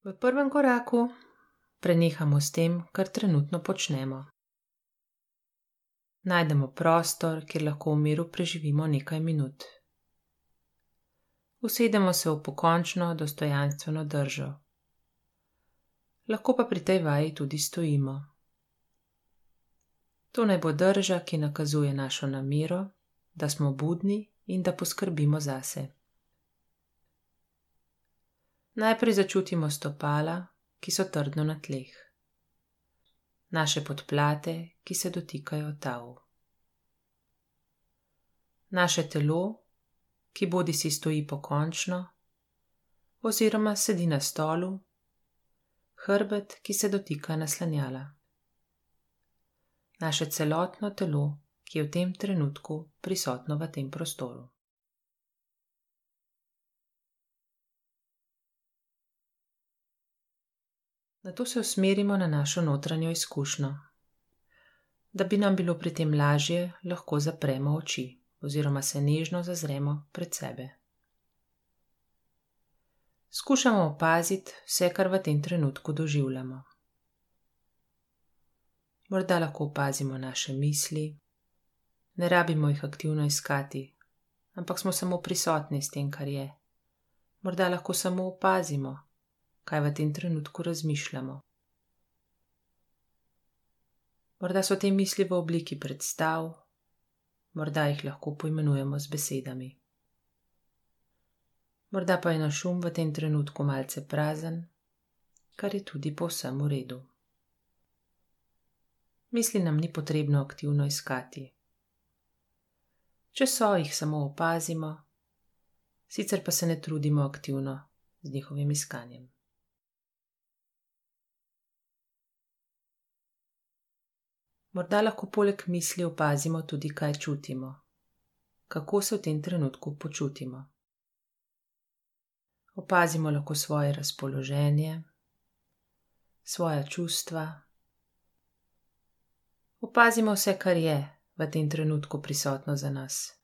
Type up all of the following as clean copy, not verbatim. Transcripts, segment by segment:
V prvem koraku prenehamo s tem, kar trenutno počnemo. Najdemo prostor, kjer lahko v miru preživimo nekaj minut. Usedemo se v pokončno, dostojanstveno držo. Lahko pa pri tej vaji tudi stojimo. To naj bo drža, ki nakazuje našo namero, da smo budni in da poskrbimo zase. Najprej začutimo stopala, ki so trdno na tleh. Naše podplate, ki se dotikajo tal. Naše telo, ki bodisi stoji pokončno, oziroma sedi na stolu, hrbet, ki se dotika naslanjala. Naše celotno telo, ki je v tem trenutku prisotno v tem prostoru. Nato se usmerimo na našo notranjo izkušnjo. Da bi nam bilo pri tem lažje, lahko zapremo oči oziroma se nežno zazremo pred sebe. Skušamo opaziti vse, kar v tem trenutku doživljamo. Morda lahko opazimo naše misli, ne rabimo jih aktivno iskati, ampak smo samo prisotni s tem, kar je. Morda lahko samo opazimo, kaj v tem trenutku razmišljamo. Morda so te misli v obliki predstav, morda jih lahko poimenujemo z besedami. Morda pa je naš v tem trenutku malce prazen, kar je tudi povsem v redu. Misli nam ni potrebno aktivno iskati. Če so, jih samo opazimo, sicer pa se ne trudimo aktivno z njihovim iskanjem. Morda lahko poleg misli opazimo tudi, kaj čutimo, kako se v tem trenutku počutimo. Opazimo lahko svoje razpoloženje, svoja čustva. Opazimo vse, kar je v tem trenutku prisotno za nas.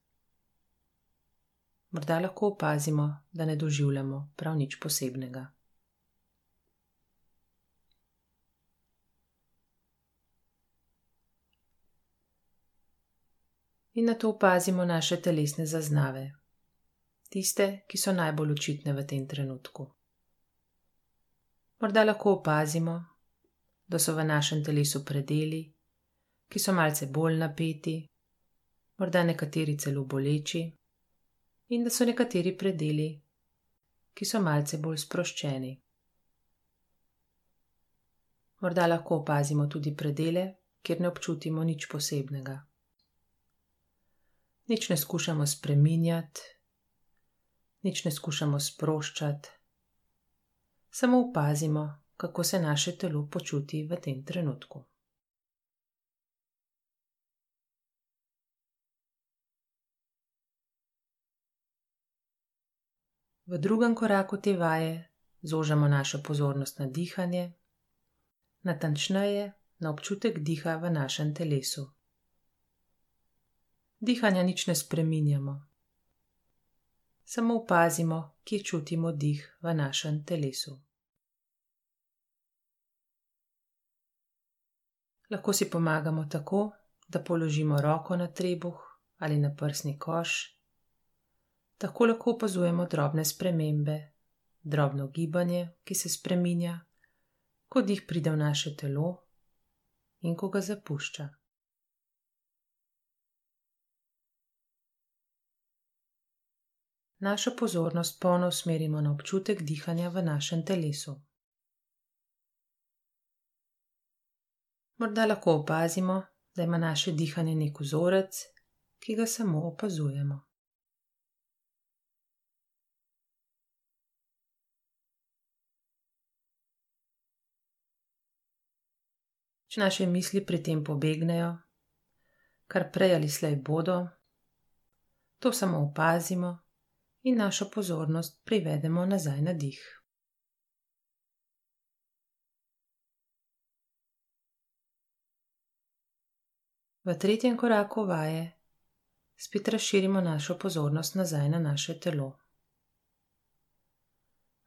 Morda lahko opazimo, da ne doživljamo prav nič posebnega. In nato opazimo naše telesne zaznave, tiste, ki so najbolj očitne v tem trenutku. Morda lahko opazimo, da so v našem telesu predeli, ki so malce bolj napeti, morda nekateri celo boleči, in da so nekateri predeli, ki so malce bolj sproščeni. Morda lahko opazimo tudi predele, kjer ne občutimo nič posebnega. Nič ne skušamo spreminjati, nič ne skušamo sproščati, samo opazimo, kako se naše telo počuti v tem trenutku. V drugem koraku te vaje zožamo našo pozornost na dihanje, natančneje na občutek diha v našem telesu. Dihanja nič ne spreminjamo, samo opazimo, kje čutimo dih v našem telesu. Lahko si pomagamo tako, da položimo roko na trebuh ali na prsni koš. Tako lahko opazujemo drobne spremembe, drobno gibanje, ki se spreminja, ko dih pride v naše telo in ko ga zapušča. Našo pozornost polno usmerimo na občutek dihanja v našem telesu. Morda lahko opazimo, da ima naše dihanje nek vzorec, ki ga samo opazujemo. Če naše misli pri tem pobegnejo, kar prej ali slej bodo, to samo opazimo in našo pozornost privedemo nazaj na dih. V tretjem koraku vaje spet razširimo našo pozornost nazaj na naše telo.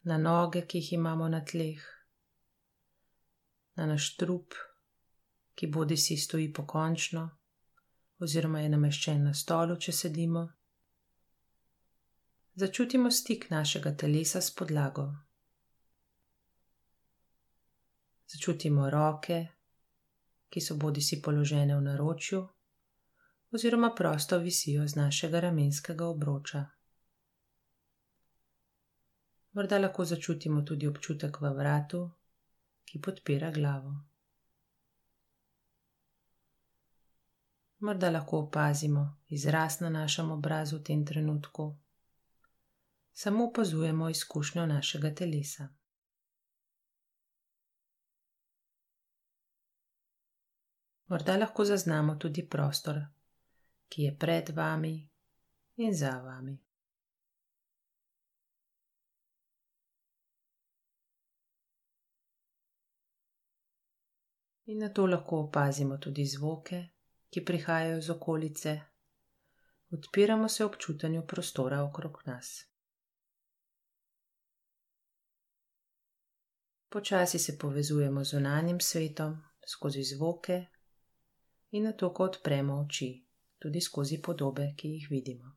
na noge, ki jih imamo na tleh, na naš trup, ki bodisi stoji pokončno oziroma je nameščen na stolu, če sedimo. Začutimo stik našega telesa s podlago. Začutimo roke, ki so bodisi položene v naročju oziroma prosto visijo z našega ramenskega obroča. Morda lahko začutimo tudi občutek v vratu, ki podpira glavo. Morda lahko opazimo izraz na našem obrazu v tem trenutku. Samo opazujemo izkušnjo našega telesa. Morda lahko zaznamo tudi prostor, ki je pred vami in za vami. In nato lahko opazimo tudi zvoke, ki prihajajo iz okolice. Odpiramo se občutanju prostora okrog nas. Počasi se povezujemo z zunanjim svetom, skozi zvoke in nato, ko odpremo oči, tudi skozi podobe, ki jih vidimo.